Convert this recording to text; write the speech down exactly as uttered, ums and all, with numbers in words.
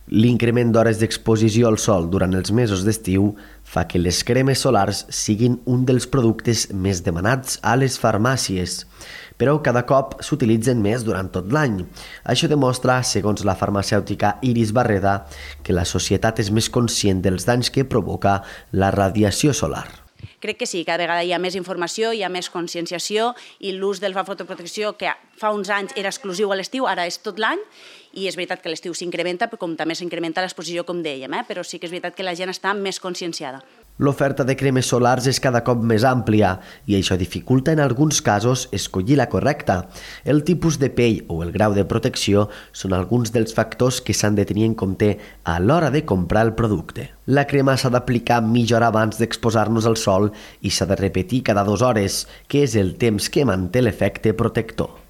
L'increment d'hores d'exposició al sol durant els mesos d'estiu fa que les cremes solars siguin un dels productes més demanats a les farmàcies, però cada cop s'utilitzen més durant tot l'any. Això demostra, segons la farmacèutica Iris Barreda, que la societat és més conscient dels danys que provoca la radiació solar. Crec que sí, cada vegada hi ha més informació, hi ha més conscienciació i l'ús de la fotoprotecció, que fa uns anys era exclusiu a l'estiu, ara és tot l'any, i és veritat que l'estiu s'incrementa, però com també s'incrementa l'exposició, com dèiem, eh? Però sí que és veritat que la gent està més conscienciada. L'oferta de cremes solars és cada cop més àmplia i això dificulta en alguns casos escollir la correcta. El tipus de pell o el grau de protecció són alguns dels factors que s'han de tenir en compte a l'hora de comprar el producte. La crema s'ha d'aplicar mitja hora abans d'exposar-nos al sol i s'ha de repetir cada dues hores, que és el temps que manté l'efecte protector.